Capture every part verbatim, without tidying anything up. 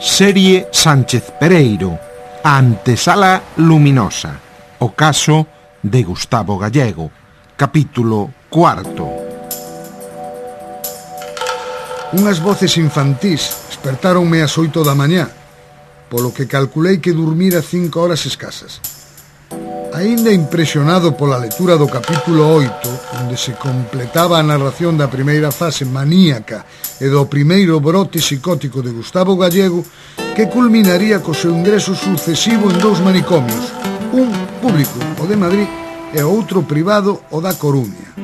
Serie Sánchez Pereiro, a antesala luminosa, o caso de Gustavo Gallego, capítulo cuarto. Unhas voces infantís despertáronme ás oito da mañá, polo que calculei que durmira cinco horas escasas. Aínda impresionado pola lectura do capítulo oito, onde se completaba a narración da primeira fase maníaca e do primeiro brote psicótico de Gustavo Gallego, que culminaría co seu ingreso sucesivo en dous manicomios, un público, o de Madrid, e outro privado, o da Coruña.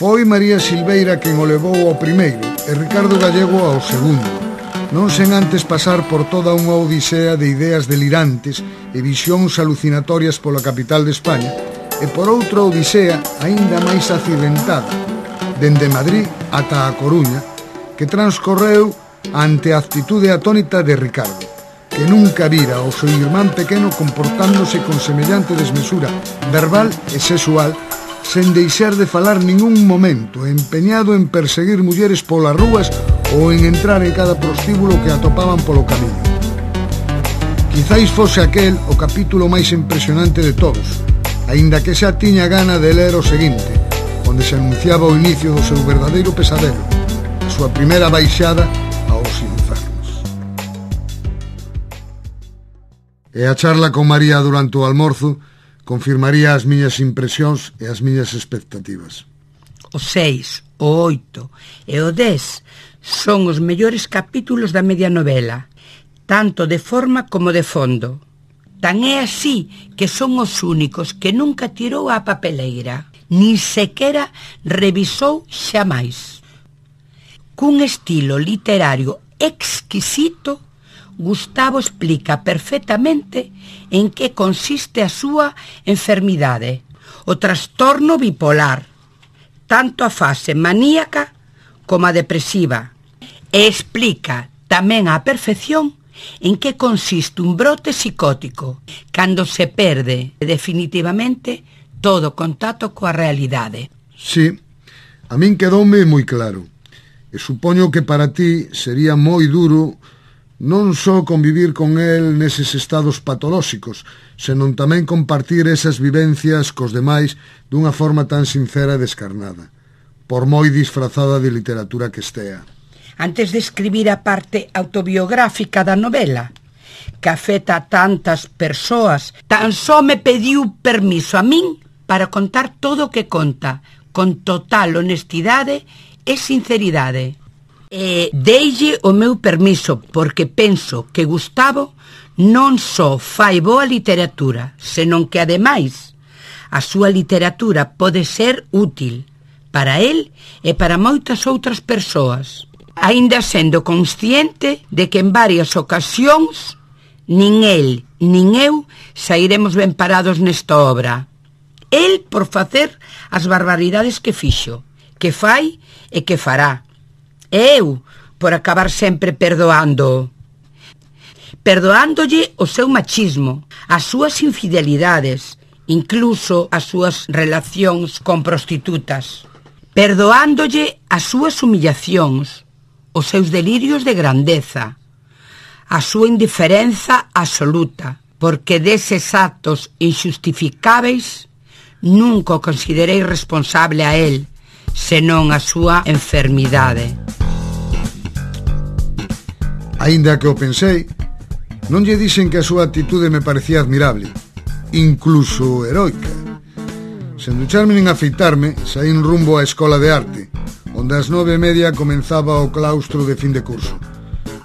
Foi María Silveira quen o levou ao primeiro e Ricardo Gallego ao segundo, non sen antes pasar por toda unha odisea de ideas delirantes e visións alucinatorias pola capital de España, e por outra odisea aínda máis accidentada, dende Madrid ata a Coruña, que transcorreu ante a actitude atónita de Ricardo, que nunca vira ao seu irmán pequeno comportándose con semellante desmesura verbal e sexual, sen deixar de falar ningún momento, empeñado en perseguir mulleres polas rúas ou en entrar en cada prostíbulo que atopaban polo camiño. Quizáis fose aquel o capítulo máis impresionante de todos, aínda que xa tiña gana de ler o seguinte, onde se anunciaba o inicio do seu verdadeiro pesadelo, a súa primeira baixada aos infernos. E a charla con María durante o almorzo confirmaría as miñas impresións e as miñas expectativas. O seis, o oito e o dez son os mellores capítulos da media novela, tanto de forma como de fondo. Tan é así que son os únicos que nunca tirou a papeleira, nin sequera revisou xamais. Cun estilo literario exquisito, Gustavo explica perfectamente en que consiste a súa enfermidade, o trastorno bipolar, tanto a fase maníaca como a depresiva, e explica tamén á perfección en que consiste un brote psicótico, cando se perde definitivamente todo contacto coa realidade. Sí, a min quedoume moi claro, e supoño que para ti sería moi duro non só convivir con el neses estados patolóxicos, senón tamén compartir esas vivencias cos demais dunha forma tan sincera e descarnada, por moi disfrazada de literatura que estea. Antes de escribir a parte autobiográfica da novela, que afecta a tantas persoas, tan só me pediu permiso a min para contar todo o que conta, con total honestidade e sinceridade. E deille o meu permiso, porque penso que Gustavo non só fai boa literatura, senón que, ademais, a súa literatura pode ser útil para el e para moitas outras persoas, aínda sendo consciente de que en varias ocasións nin el nin eu sairemos ben parados nesta obra. El por facer as barbaridades que fixo, que fai e que fará. E eu por acabar sempre perdoando. Perdoándolle o seu machismo, as súas infidelidades, incluso as súas relacións con prostitutas. Perdoándolle as súas humillacións, os seus delirios de grandeza, a súa indiferenza absoluta, porque deses actos injustificáveis nunca o considerei responsable a él, senón a súa enfermidade. Aínda que o pensei, non lle dixen que a súa actitude me parecía admirable, incluso heroica. Sen ducharme nin afeitarme, saín rumbo á escola de arte, onde ás nove e media comenzaba o claustro de fin de curso.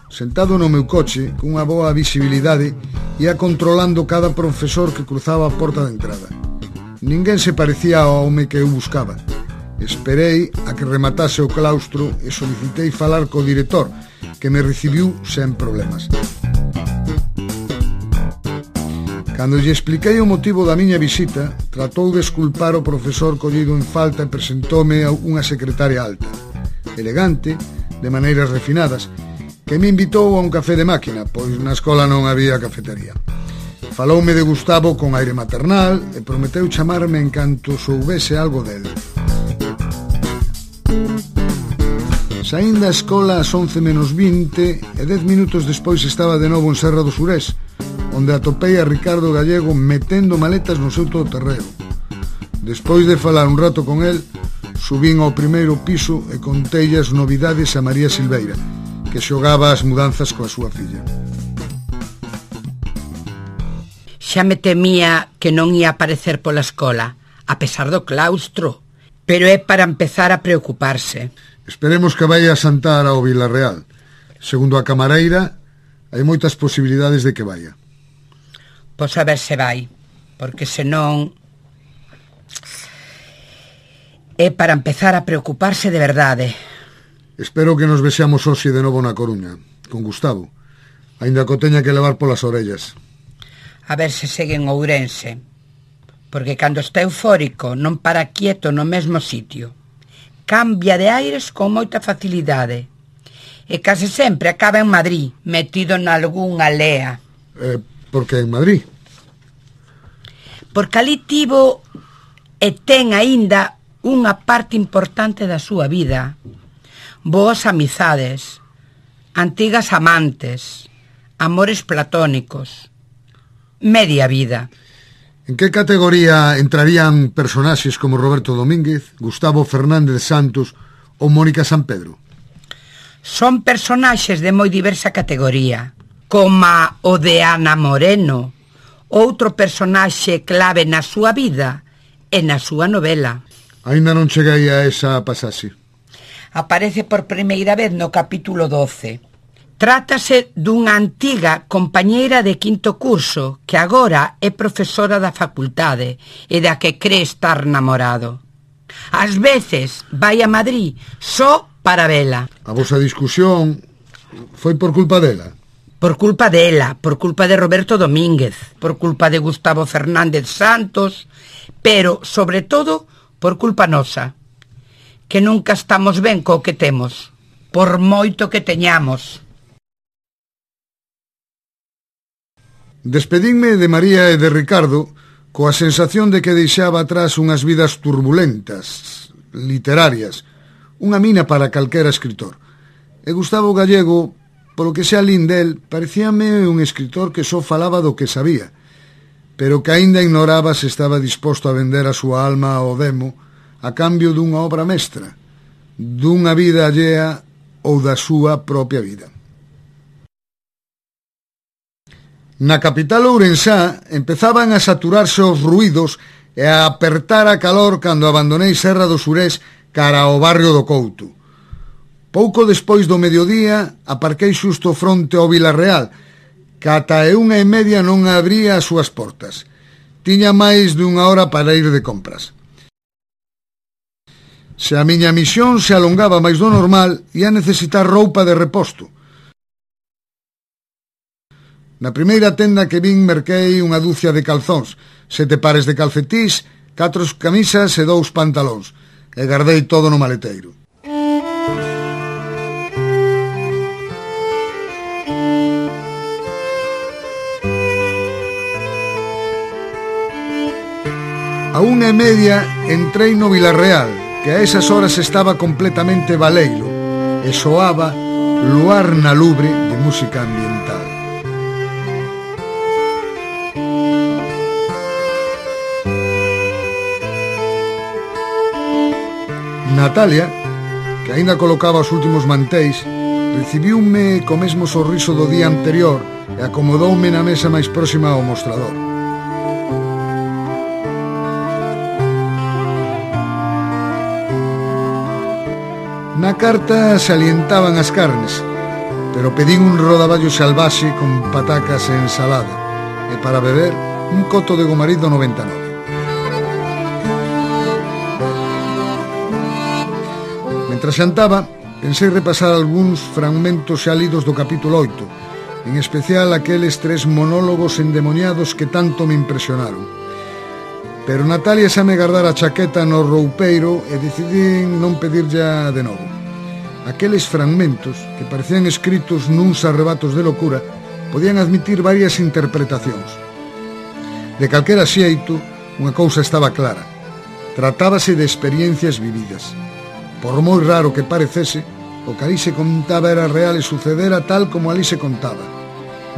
Sentado no meu coche, cunha boa visibilidade, ia controlando cada profesor que cruzaba a porta de entrada. Ninguén se parecía ao home que eu buscaba. Esperei a que rematase o claustro e solicitei falar co director, que me recibiu sen problemas. Cando lle expliquei o motivo da miña visita, tratou de esculpar o profesor collido en falta e presentoume a unha secretaria alta, elegante, de maneiras refinadas, que me invitou a un café de máquina, pois na escola non había cafetería. Faloume de Gustavo con aire maternal e prometeu chamarme en canto soubese algo dele. Saín da escola ás once menos vinte e dez minutos despois estaba de novo en Serra do Surés, onde atopei a Ricardo Gallego metendo maletas no seu todoterreo. Despois de falar un rato con el, subín ao primeiro piso e contei as novidades a María Silveira, que xogaba as mudanzas coa súa filla. Xa me temía que non ia aparecer pola escola, a pesar do claustro, pero é para empezar a preocuparse. Esperemos que vai a Santar ao Vilarreal. Segundo a camareira, hai moitas posibilidades de que vaya. Pois a ver se vai, porque senón é para empezar a preocuparse de verdade. Espero que nos vexamos hoxe de novo na Coruña, con Gustavo, aínda que o teña que levar polas orellas. A ver se segue en Ourense, porque cando está eufórico non para quieto no mesmo sitio. Cambia de aires con moita facilidade e case sempre acaba en Madrid, metido nalgunha lea. Eh, por que en Madrid? Porque ali tivo e ten aínda unha parte importante da súa vida. Boas amizades, antigas amantes, amores platónicos, media vida. En que categoría entrarían personaxes como Roberto Domínguez, Gustavo Fernández Santos ou Mónica Sampedro? Son personaxes de moi diversa categoría, como o de Ana Moreno, outro personaxe clave na súa vida e na súa novela. Ainda non cheguei a esa pasaxe. Aparece por primeira vez no capítulo doce. Trátase dunha antiga compañeira de quinto curso que agora é profesora da facultade e da que cree estar namorado. Ás veces vai a Madrid só para vela. A vosa discusión foi por culpa dela? Por culpa dela, por culpa de Roberto Domínguez, por culpa de Gustavo Fernández Santos, pero, sobre todo, por culpa nosa, que nunca estamos ben co que temos, por moito que teñamos. Despedinme de María e de Ricardo coa sensación de que deixaba atrás unhas vidas turbulentas, literarias, unha mina para calquera escritor. E Gustavo Gallego, polo que sea lín del, parecíame un escritor que só falaba do que sabía, pero que aínda ignoraba se estaba disposto a vender a súa alma ao demo a cambio dunha obra mestra, dunha vida allea ou da súa propia vida. Na capital ourensá empezaban a saturarse os ruídos e a apertar a calor cando abandonei Serra do Surés cara ao barrio do Couto. Pouco despois do mediodía aparquei xusto fronte ao Vilarreal, que ata e unha e media non abría as súas portas. Tiña máis dunha hora para ir de compras. Se a miña misión se alongaba máis do normal, ia necesitar roupa de reposto. Na primeira tenda que vin merquei unha dúcia de calzóns, sete pares de calcetís, catro camisas e dous pantalóns, e gardei todo no maleteiro. A unha e media entrei no Vilarreal, que a esas horas estaba completamente baleiro, e soaba Luar na Lubre de música ambiental. Natalia, que aínda colocaba os últimos manteis, recibiume co mesmo sorriso do día anterior e acomodoume na mesa máis próxima ao mostrador. Na carta salientaban as carnes, pero pedín un rodaballo salvaxe con patacas e ensalada, e para beber un coto de Gomarido noventa e nove. Mentre xantaba, pensei repasar algúns fragmentos xa lidos do capítulo oito, en especial aqueles tres monólogos endemoniados que tanto me impresionaron. Pero Natalia xa me gardara a chaqueta no roupeiro e decidín non pedirlla de novo. Aqueles fragmentos, que parecían escritos nuns arrebatos de locura, podían admitir varias interpretacións. De calquera xeito, unha cousa estaba clara. Tratábase de experiencias vividas. Por moi raro que parecese, O que ali se contaba era real e sucedera tal como ali se contaba.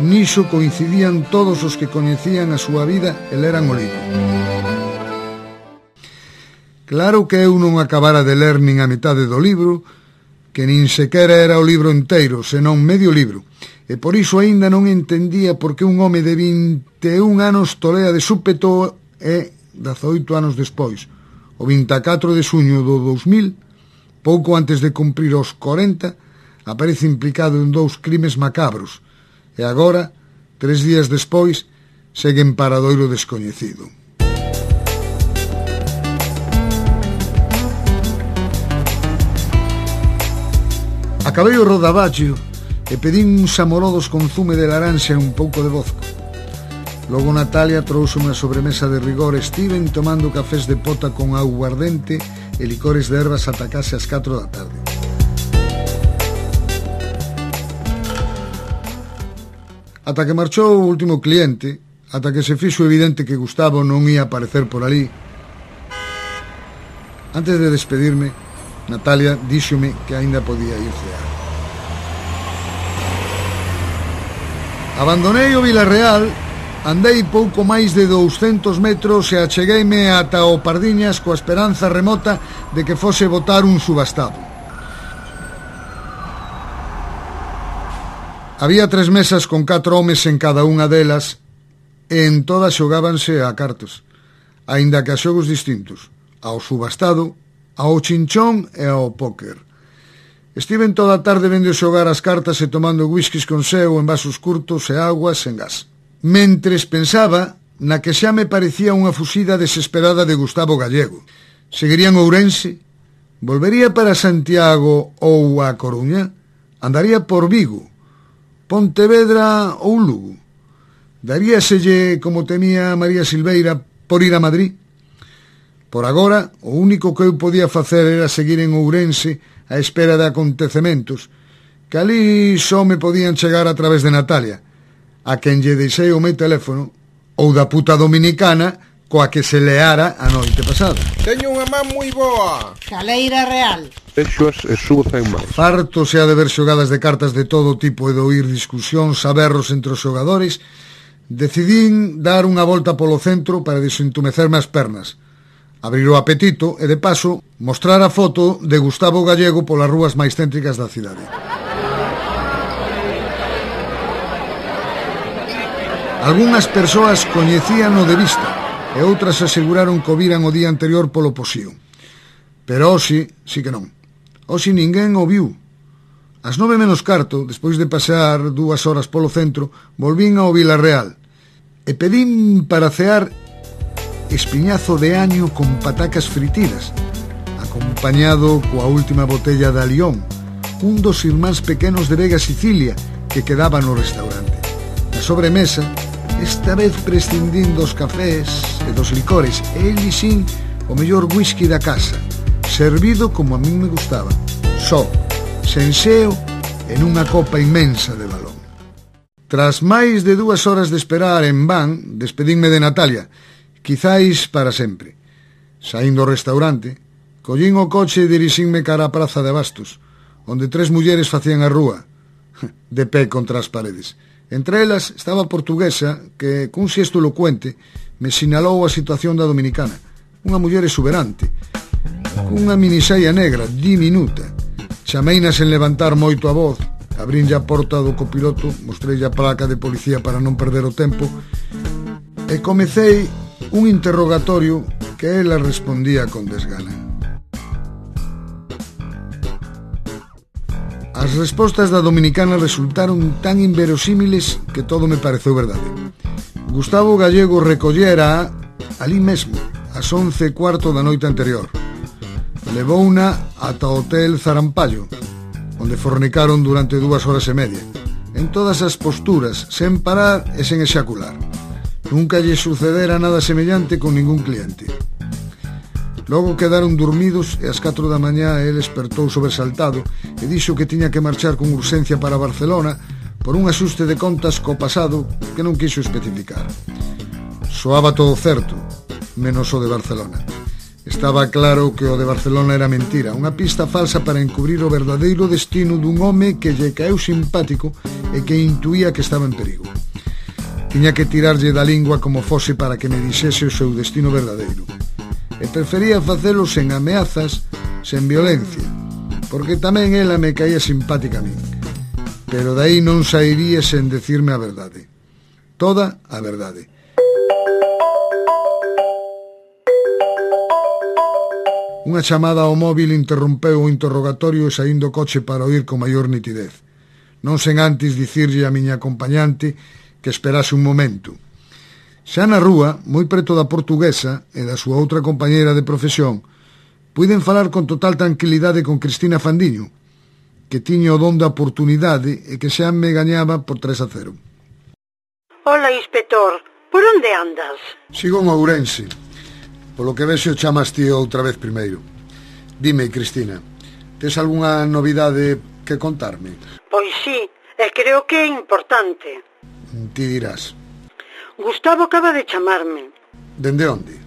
Niso coincidían todos os que coñecían a súa vida e leran o libro. Claro que eu non acabara de ler nin a metade do libro, que nin sequera era o libro inteiro, senón medio libro, e por iso aínda non entendía por que un home de vinte e un anos tolea de súpeto e dezaoito anos despois, o vinte e catro de xuño do dous mil, pouco antes de cumprir os corenta, aparece implicado en dous crimes macabros, e agora, tres días despois, segue en paradoiro descoñecido. Acabei o rodaballo e pedín uns amorodos con zume de laranxa e un pouco de vodka. Logo Natalia trouxe unha sobremesa de rigor e estiven tomando cafés de pota con aguardente e licores de ervas ata case ás catro da tarde. Ata que marchou o último cliente, ata que se fixo evidente que Gustavo non ia aparecer por ali. Antes de despedirme, Natalia díxome que aínda podía ir cear. Abandonei o Vilarreal, andei pouco máis de douscentos metros e achegueime ata o Pardiñas coa esperanza remota de que fose botar un subastado. Había tres mesas con catro homes en cada unha delas e en todas xogábanse a cartos, aínda que a xogos distintos, ao subastado, ao chinchón e ao póker. Estiven toda a tarde vendo xogar as cartas e tomando whiskies con seu en vasos curtos e aguas en gas, mentres pensaba na que xa me parecía unha fuxida desesperada de Gustavo Gallego. Seguiría en Ourense? Volvería para Santiago ou a Coruña? Andaría por Vigo, Pontevedra ou Lugo? Daríaselle, como temía María Silveira, por ir a Madrid? Por agora, o único que eu podía facer era seguir en Ourense a espera de acontecementos, que ali só me podían chegar a través de Natalia, a quen lle deixei o meu teléfono, ou da puta dominicana coa que se leara a noite pasada. Teño unha man moi boa. Caleira real. Vexoas e subo cen máis. Farto se ha de ver xogadas de cartas de todo tipo e de oír discusións a berros entre os xogadores, decidín dar unha volta polo centro para desentumecerme as pernas, abrir o apetito e, de paso, mostrar a foto de Gustavo Gallego polas rúas máis céntricas da cidade. Algúnas persoas coñecíano de vista e outras aseguraron que o viran o día anterior polo posío. Pero hoxe, sí que non. Hoxe ninguén o viu. Ás nove menos carto, despois de pasear dúas horas polo centro, volvín ao Vilarreal e pedín para cear espiñazo de año con patacas fritidas, acompañado coa última botella de Alión, un dos irmáns pequenos de Vega Sicilia que quedaba no restaurante. Na sobremesa, esta vez prescindindo dos cafés e dos licores, e elixín o mellor whisky da casa, servido como a min me gustaba, só, sen seo e nunha copa inmensa de balón. Tras máis de dúas horas de esperar en van, despedínme de Natalia, quizáis para sempre. Saindo do restaurante, collín o coche e dirixínme cara á praza de Bastos, onde tres mulleres facían a rúa, de pé contra as paredes. Entre elas estaba a portuguesa que, cun xesto elocuente, me sinalou a situación da dominicana, unha muller exuberante, cunha minisaia negra, diminuta. Chameina sen levantar moito a voz, abrinlle a porta do copiloto, mostrei a placa de policía para non perder o tempo, e comecei un interrogatorio que ela respondía con desgana. As respostas da dominicana resultaron tan inverosímiles que todo me pareceu verdade. Gustavo Gallego recollera ali mesmo, ás once e cuarto da noite anterior. Levouna ata o hotel Zarampallo, onde fornicaron durante dúas horas e media, en todas as posturas, sen parar e sen exacular. Nunca lle sucedera nada semellante con ningún cliente. Logo quedaron dormidos e ás catro da mañá el despertou sobresaltado e dixo que tiña que marchar con urxencia para Barcelona por un axuste de contas co pasado que non quixo especificar. Soaba todo certo, menos o de Barcelona. Estaba claro que o de Barcelona era mentira, unha pista falsa para encubrir o verdadeiro destino dun home que lle caeu simpático e que intuía que estaba en perigo. Tiña que tirarlle da lingua como fose para que me dixese o seu destino verdadeiro. E prefería facelo sen ameazas, sen violencia, porque tamén ela me caía simpática a min. Pero dai non sairía sen decirme a verdade. Toda a verdade. Unha chamada ao móvil interrompeu o interrogatorio e saín do coche para oír con maior nitidez. Non sen antes dicirlle a miña acompañante que esperase un momento. Xa na rúa, moi preto da portuguesa e da súa outra compañeira de profesión, puiden falar con total tranquilidade con Cristina Fandiño, que tiña o don da oportunidade e que xa me gañaba por tres a cero. Hola, inspector. Por onde andas? Sigo en Ourense. Polo que vexo chamaste outra vez primeiro. Dime, Cristina, tes algunha novidade que contarme? Pois sí, e creo que é importante. Ti dirás. Gustavo acaba de chamarme. Dende onde?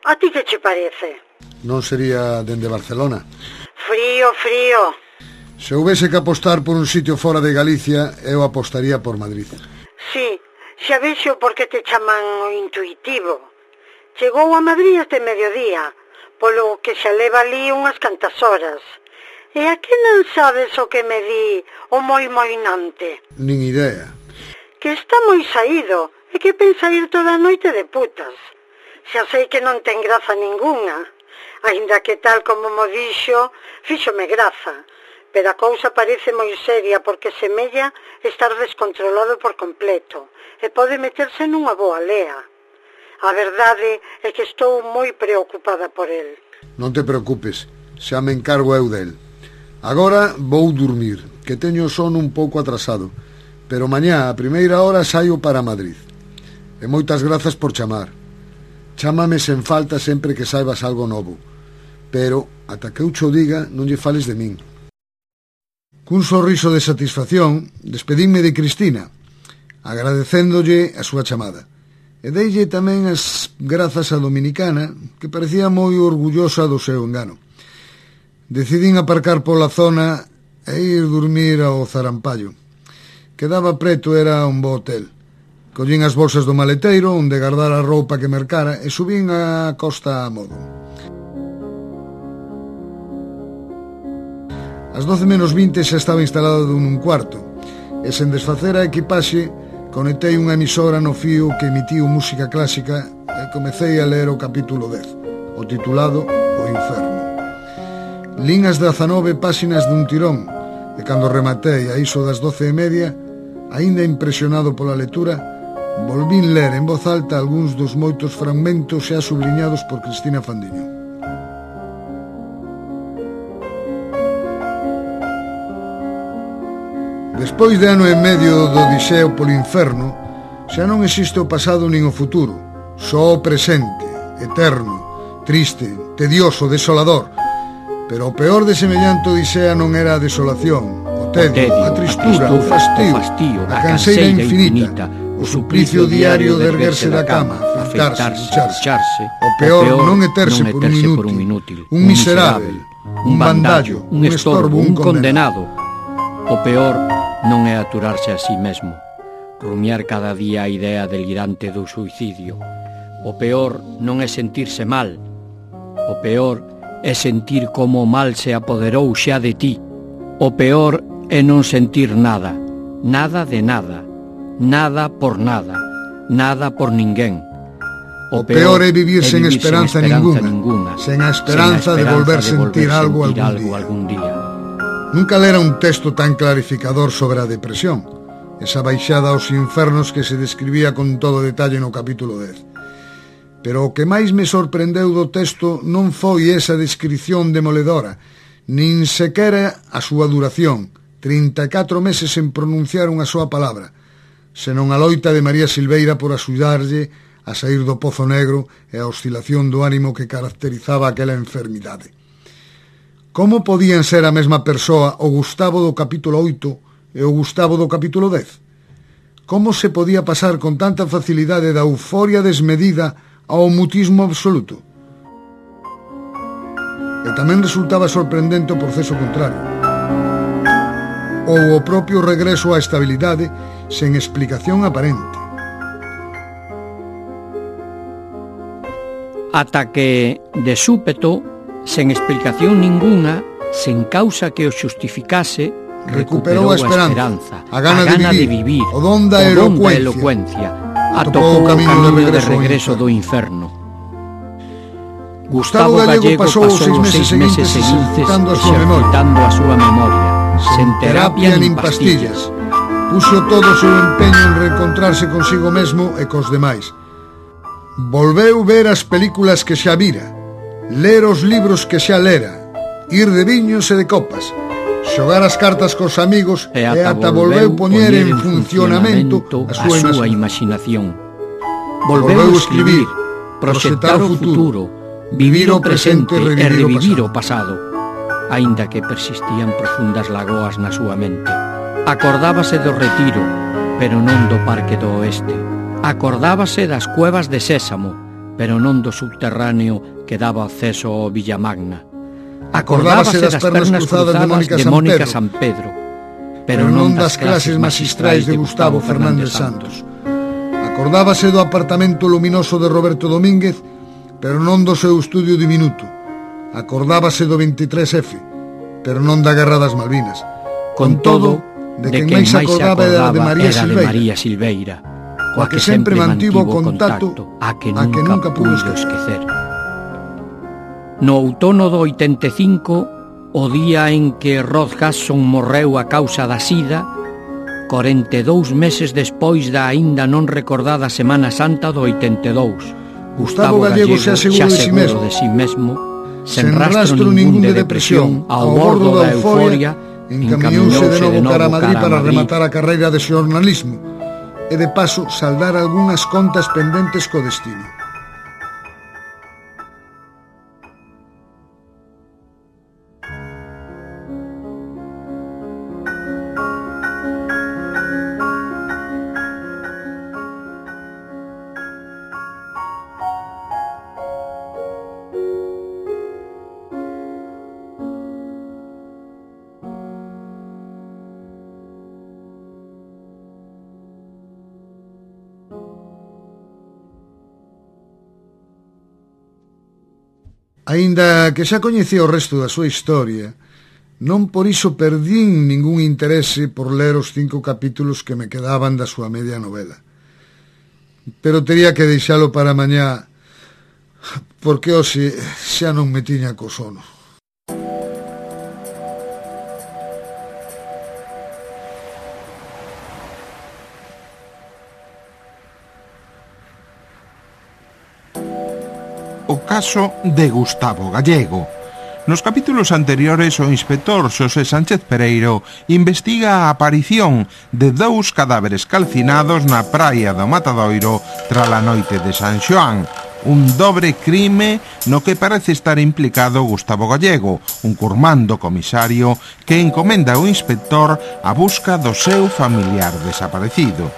A ti que che parece? Non sería dende Barcelona? Frío, frío. Se houvese que apostar por un sitio fora de Galicia, eu apostaría por Madrid. Sí, xa vexo por que te chaman o intuitivo. Chegou a Madrid este mediodía, polo que xa leva ali unhas cantas horas. E a que non sabes o que me di o moi moinante? Nin idea. Que está moi saído e que pensa ir toda a noite de putas. Xa sei que non ten graza ningunha, aínda que tal como mo dixo, fíxome graza. Pero a cousa parece moi seria porque semella estar descontrolado por completo e pode meterse nunha boa lea. A verdade é que estou moi preocupada por el. Non te preocupes, xa me encargo eu del. Agora vou dormir, que teño o sono un pouco atrasado, pero mañá a primeira hora saio para Madrid. E moitas grazas por chamar. Chámame sen falta sempre que saibas algo novo, pero ata que eu cho diga non lle fales de min. Cun sorriso de satisfacción despedínme de Cristina, agradecéndolle a súa chamada. E deille tamén as grazas a Dominicana, que parecía moi orgullosa do seu engano. Decidín aparcar pola zona e ir dormir ao Zarampallo. Quedaba preto, era un bo hotel. Collín as bolsas do maleteiro, onde guardar a roupa que mercara, e subín a costa a modo. Ás doce menos vinte xa estaba instalado nun cuarto, e sen desfacer a equipaxe, conectei unha emisora no fío que emitiu música clásica e comecei a ler o capítulo dez, o titulado O Inferno. Lín as dezanove páxinas dun tirón e cando rematei a iso das doce e media, aínda impresionado pola lectura, volvín ler en voz alta algúns dos moitos fragmentos xa subliñados por Cristina Fandiño. Despois de ano e medio do odiseo polo inferno, xa non existe o pasado nin o futuro, só o presente, eterno, triste, tedioso, desolador. Pero o peor de semellante odisea non era a desolación, o tedio, a tristura, o fastío, a canseira infinita, o suplicio diario de erguerse da cama, afeitarse, ducharse. O peor non é terse por un inútil, un miserável, un bandallo, un estorbo, un condenado. O peor non é aturarse a sí mesmo, rumiar cada día a idea delirante do suicidio. O peor non é sentirse mal. O peor é sentir como o mal se apoderou xa de ti. O peor é non sentir nada, nada de nada, nada por nada, nada por ninguén. O peor é vivir sen esperanza ninguna, sen a esperanza de volver sentir algo algún día. Nunca lera un texto tan clarificador sobre a depresión, esa baixada aos infernos que se describía con todo detalle no capítulo dez. Pero o que máis me sorprendeu do texto non foi esa descripción demoledora, nin sequera a súa duración, trinta e catro meses sen pronunciar unha soa palabra, senón a loita de María Silveira por axudarlle a sair do pozo negro e a oscilación do ánimo que caracterizaba aquela enfermidade. Como podían ser a mesma persoa o Gustavo do capítulo oito e o Gustavo do capítulo dez? Como se podía pasar con tanta facilidade da euforia desmedida ao mutismo absoluto? e tamén resultaba sorprendente o proceso contrario. Ou o propio regreso á estabilidade sen explicación aparente. Ata que, de súpeto, sen explicación ninguna, sen causa que o xustificase, recuperou a esperanza, a gana, a gana de, vivir, de vivir, o don da elocuencia, elocuencia, atopou o camiño de regreso, de regreso do inferno. Gustavo Gallego pasou os seis meses seguintes exercitando a súa memoria, a súa memoria, sen terapia nin pastillas. Puxo todo o seu empeño en reencontrarse consigo mesmo e cos demais. Volveu ver as películas que xa vira, ler os libros que xa lera, ir de viños e de copas, xogar as cartas cos amigos e ata, e ata volveu poñer en funcionamento a súa, a súa imaginación. Volveu escribir, proxectar o futuro, vivir o presente e revivir o pasado, aínda que persistían profundas lagoas na súa mente. Acordábase do Retiro, pero non do Parque do Oeste. Acordábase das cuevas de Sésamo, pero non do subterráneo que daba acceso ao Villamagna. Acordábase das pernas cruzadas de Mónica, de Mónica San Pedro, pero non das clases magistrais de Gustavo Fernández Santos. Acordábase do apartamento luminoso de Roberto Domínguez, pero non do seu estudio diminuto. Acordábase do veintitrés efe, pero non da Guerra das Malvinas. Con todo, de quen máis se acordaba era de María Silveira, María Silveira, coa que sempre mantivo contacto, a que nunca, a que nunca pudo esquecer. No outono do oitenta e cinco, o día en que Rod Hudson morreu a causa da sida, corenta e dous meses despois da aínda non recordada Semana Santa do oitenta e dous, Gustavo Gallego xa seguro de si mesmo, de si mesmo sen rastro ningún de depresión, ao bordo da euforia, encamiñouse de novo cara a Madrid para rematar a carreira de xornalismo e de paso saldar algunhas contas pendentes co destino. Aínda que xa coñecía o resto da súa historia, non por iso perdín ningún interese por ler os cinco capítulos que me quedaban da súa media novela. Pero tería que deixalo para mañá, porque hoxe xa non me tiña co sono. O caso de Gustavo Gallego. Nos capítulos anteriores, o inspector Xosé Sánchez Pereiro investiga a aparición de dous cadáveres calcinados na praia do Matadoiro trala noite de San Xoán, un dobre crime no que parece estar implicado Gustavo Gallego, un curmando comisario que encomenda ao inspector a busca do seu familiar desaparecido.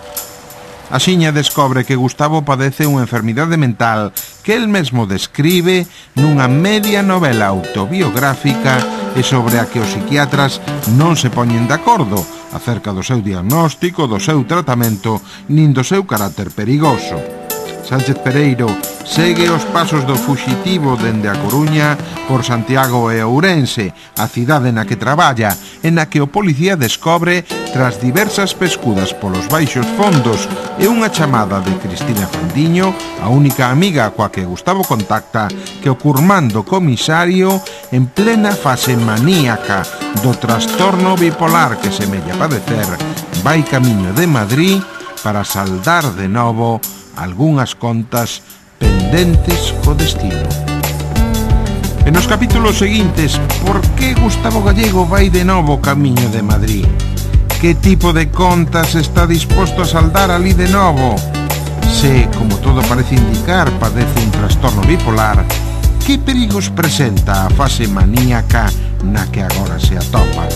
Axiña descobre que Gustavo padece unha enfermidade mental que el mesmo describe nunha media novela autobiográfica e sobre a que os psiquiatras non se poñen de acordo acerca do seu diagnóstico, do seu tratamento, nin do seu carácter perigoso. Sánchez Pereiro segue os pasos do fuxitivo dende a Coruña por Santiago e Ourense, a cidade na que traballa, e na que o policía descobre, tras diversas pescudas polos baixos fondos e unha chamada de Cristina Fandiño, a única amiga coa que Gustavo contacta, que o curmando comisario, en plena fase maníaca do trastorno bipolar que semella padecer, vai camiño de Madrid para saldar de novo algunhas contas pendentes co destino. En os capítulos seguintes, por que Gustavo Gallego vai de novo camiño de Madrid? Que tipo de contas está disposto a saldar ali de novo? Se, como todo parece indicar, padece un trastorno bipolar, que perigos presenta a fase maníaca na que agora se atopa?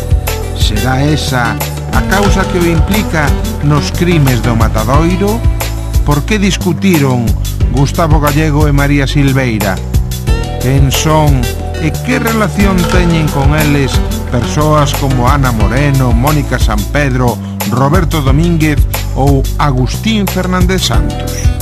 Será esa a causa que o implica nos crimes do Matadoiro? Por que discutiron Gustavo Gallego e María Silveira? quen son e que relación teñen con eles persoas como Ana Moreno, Mónica San Pedro, Roberto Domínguez ou Agustín Fernández Santos.